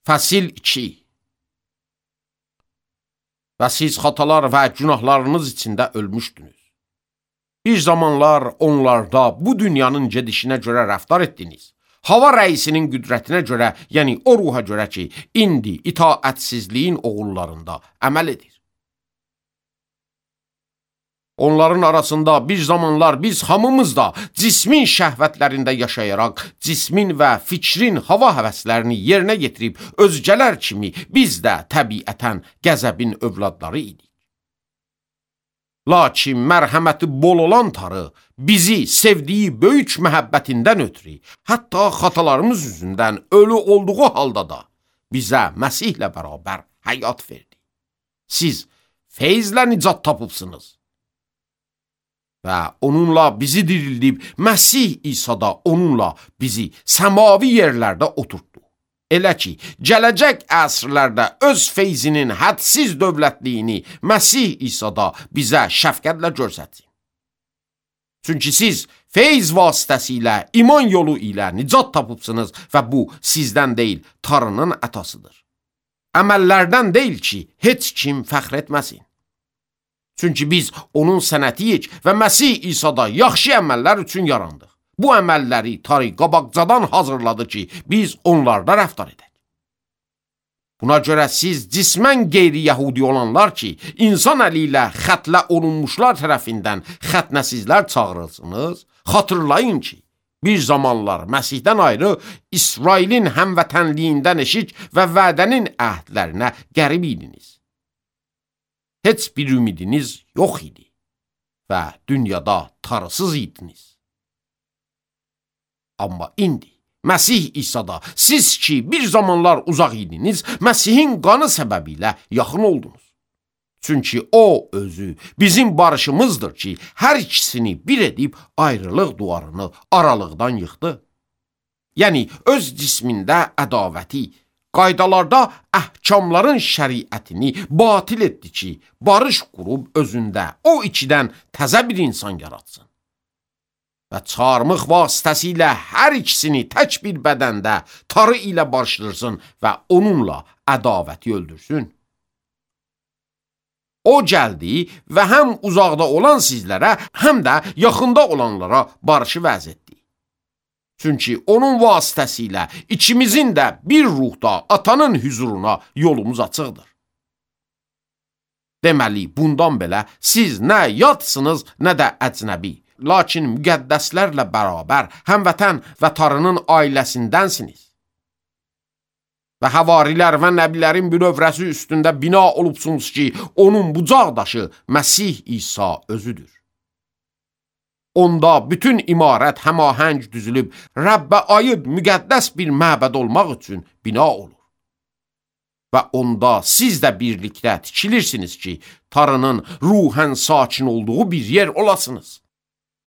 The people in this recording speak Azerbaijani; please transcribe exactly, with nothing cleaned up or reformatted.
Fəsil iki. Və siz xatalar və günahlarınız içində ölmüşdünüz. Bir zamanlar onlarda bu dünyanın gedişinə görə rəftar etdiniz. Hava rəisinin qüdrətinə görə, yəni o ruha görə ki, indi itaətsizliyin oğullarında əməl edir. Onların arasında bir zamanlar biz hamımız da cismin şəhvətlərində yaşayaraq, cismin və fikrin hava həvəslərini yerinə yetirib, özgələr kimi biz də təbiətən qəzəbin övladları idik. Lakin mərhəməti bol olan Tanrı bizi sevdiyi böyük məhəbbətindən ötürü, hətta xatalarımız yüzündən ölü olduğu halda da bizə Məsihlə bərabər həyat verdi. Siz feyzlə nicat tapıbsınız. Və onunla bizi dirildib, Məsih İsa'da onunla bizi səmavi yerlərdə oturtdu. Elə ki, gələcək əsrlərdə öz feyzinin hədsiz dövlətliyini Məsih İsa'da bizə şəfqətlə göstərsin. Çünki siz feyz vasitəsilə, iman yolu ilə nicat tapıbsınız və bu sizdən deyil, Tanrının ətasıdır. Əməllərdən deyil ki, heç kim fəxr etməsin. Çünki biz onun sənətiyik və Məsih İsa'da yaxşı əməllər üçün yarandıq. Bu əməlləri Tanrı qabaqcadan hazırladı ki, biz onlarda rəftar edək. Buna görə siz cismən qeyri-yəhudi olanlar ki, insan əli ilə xətlə olunmuşlar tərəfindən xətnəsizlər çağırılsınız, xatırlayın ki, bir zamanlar Məsihdən ayrı İsrailin həmvətənliyindən eşik və vədənin əhdlərinə qərib idiniz. Heç bir ümidiniz yox idi və dünyada tarısız idiniz. Amma indi Məsih İsa'da siz ki bir zamanlar uzaq idiniz, Məsihin qanı səbəbilə yaxın oldunuz. Çünki o özü bizim barışımızdır ki, hər ikisini bir edib ayrılıq duvarını aralıqdan yıxdı. Yəni öz cismində ədavəti, qaydalarda əhkamların şəriətini batil etdi ki, barış qurub özündə o ikidən təzə bir insan yaratsın. Və çarmıq vasitəsilə hər ikisini tək bir bədəndə Tanrı ilə barışdırsın və onunla ədavəti öldürsün. O gəldi və həm uzaqda olan sizlərə, həm də yaxında olanlara barışı vəz etdi. Çünki onun vasitəsilə ikimizin də bir ruhda atanın hüzuruna yolumuz açıqdır. Deməli, bundan belə siz nə yatsınız, nə də əcnəbi, lakin müqəddəslərlə bərabər həmvətən və Tanrının ailəsindənsiniz. Və həvarilər və nəbilərin bünövrəsi üstündə bina olubsunuz ki, onun bucaqdaşı Məsih İsa özüdür. Onda bütün imarət həmahəng düzülüb, Rəbbə aid müqəddəs bir məbəd olmaq üçün bina olur. Və onda siz də birlikdə tikilirsiniz ki, Tanrının ruhən sakin olduğu bir yer olasınız.